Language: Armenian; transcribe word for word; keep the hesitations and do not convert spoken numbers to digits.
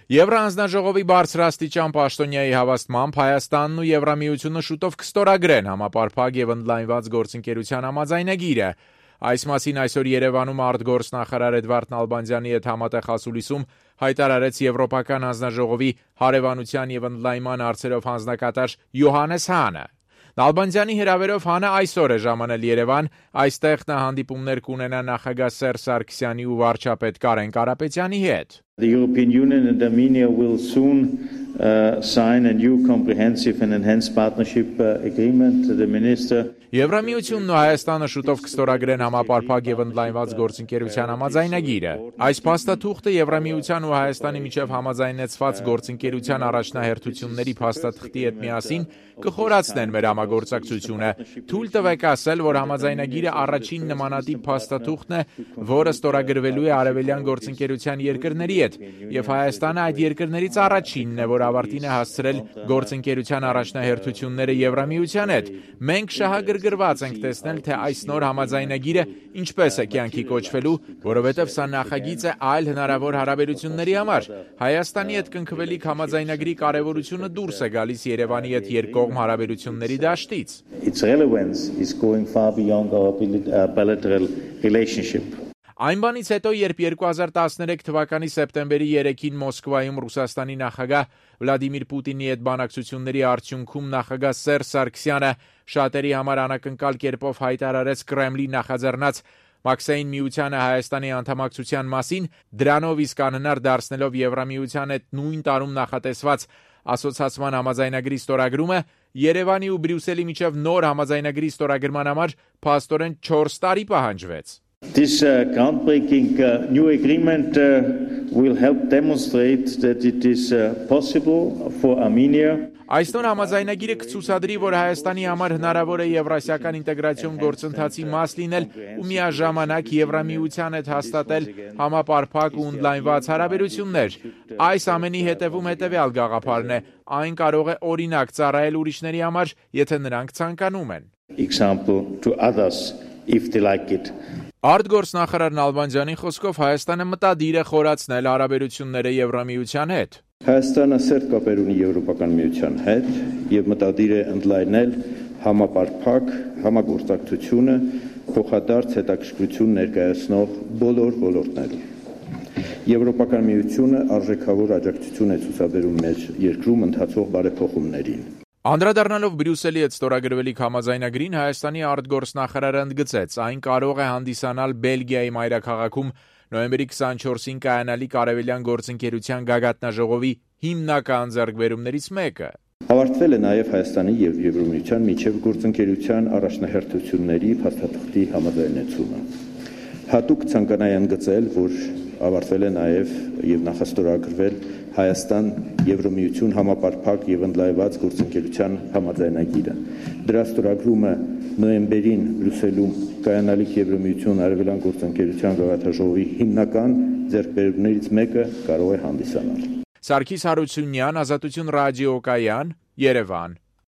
Եվրահանձնաժողովի բարձրաստիճան պաշտոնյայի հավաստմամբ Հայաստանն ու Եվրամիությունը շուտով կստորագրեն համապարփակ եւ ընդլայնված գործընկերության համաձայնագիրը։ Այս մասին այսօր Երևանում արտգործնախարար Էդվարդ Նալբանդյանի հետ համատեղ ասուլիսում հայտարարեց Եվրոպական հանձնաժողովի հարևանության եւ ընդլայնման հարցերով հանձնակատար Յոհաննես Հանը։ Նալբանդյանի հրավերով Հանը այսօր է ժամանել Երևան, այստեղ նա հանդիպումներ կունենա նախագահ Սերժ Սարգսյանի ու վարչապետ Կարեն Կարապետյանի հետ։ The European Union and Armenia will soon uh, sign a new comprehensive and enhanced partnership uh, agreement. The minister Եվրամիությունն ու Հայաստանը շուտով կստորագրեն համապարփակ եւ ընդլայնված գործընկերության համաձայնագիրը։ Այս փաստաթուղթը Եվրամիության ու Հայաստանի միջև համաձայնեցված գործընկերության առաջնահերթությունների փաստաթղթի հետ միասին կխորացնեն մեր համագործակցությունը։ Թույլ տվեք ասել, որ համաձայնագիրը առաջին նմանատիպ փաստաթուղթն է, որը ստորագրվելու է արևելյան գործընկերության երկրների հետ, եւ Հայաստանը այդ երկրներից առաջինն է, որ ավարտին է հասցրել գործընկերության առաջնահերթությունները Եվրամիության հետ։ Մենք շահագրգռված ենք տեսնել, թե այս նոր համաձայնագիրը ինչպես է կյանքի կոչվելու, որովհետև սա նախագիծ է այլ հնարավոր հարաբերությունների համար։ Հայաստանի հետ կնքվելիք համաձայնագրի կարևորությունը դուրս է գալիս Երևանի հետ երկկողմ հարաբերությունների դաշտից։ Its relevance is going far beyond our bilateral relationship. Այն բանից հետո, երբ երկու հազար տասներեք թվականի սեպտեմբերի երեքին Մոսկվայում Ռուսաստանի նախագահ Վլադիմիր Պուտինի հետ բանակցությունների արդյունքում նախագահ Սերժ Սարգսյանը շատերի համար անակնկալ կերպով հայտարարեց Կրեմլի նախաձեռնած Մաքսային միությանը Հայաստանի անդամակցության մասին, դրանով իսկ անհնար դարձնելով Եվրամիության հետ նույն տարում նախատեսված ասոցիացիան համաձայնագրի ստորագրումը, Երևանի ու Բրյուսելի միջև նոր համաձայնագրի ստորագրման համար փաստորեն չորս տարի պահանջվեց։ This uh, groundbreaking uh, new agreement uh, will help demonstrate that it is uh, possible for Armenia. Այս նոր համաձայնագիրը կցուցադրի, որ Հայաստանի համար հնարավոր է եվրասիական ինտեգրացիոն գործընթացի մաս լինել ու միաժամանակ Եվրամիության հետ հաստատել համապարփակ ու ընդլայնված հարաբերություններ։ Այս ամենի հետևում հետևյալ գաղափարն է. այն կարող է օրինակ ծառայել ուրիշների համար, եթե նրանք ցանկանում են։ Example to others if they like it. Արտգործնախարար Նալբանդյանի խոսքով Հայաստանը մտադիր է խորացնել հարաբերությունները Եվրամիության հետ։ Հայաստանը սերտ կապեր ունի Եվրոպական միության հետ եւ մտադիր է ընդլայնել համապարփակ համագործակցությունը փոխադարձ հետաքրքրություն ներկայացնող բոլոր ոլորտներում։ Եվրոպական միությունը արժեքավոր աջակցություն է ցուցաբերում մեր երկրում ընթացող բարեփոխումներին։ Անդրադառնալով Բրյուսելի հետ ստորագրվելիք համաձայնագրին, Հայաստանի արտգործնախարարը ընդգծեց, այն կարող է հանդիսանալ Բելգիայի մայրաքաղաքում նոյեմբերի քսանչորսին կայանալիք արևելյան գործընկերության գագաթնաժողովի հիմնական ձեռքբերումներից մեկը։ Ավարտվել է նաև Հայաստանի եւ Եվրամիության միջև գործընկերության առաջնահերթությունների փաստաթղթի համաձայնեցումը։ Հատուկ ցանկանայի ընդգծել, որ ավարտվել է նաև եւ նախաստորագրվել Հայաստան-Եվրամիություն համապարփակ եւ ընդլայնված գործընկերության համաձայնագիրը։ Դրա ստորագրումը նոյեմբերին Բրյուսելում կայանալիք Եվրամիություն արևելյան գործընկերության գագաթնաժողովի հիմնական ձեռքբերումներից մեկը կարող է հանդիսանալ։ Սարգիս Հարությունյան, Ազատություն ռադիոկայան, Երևան։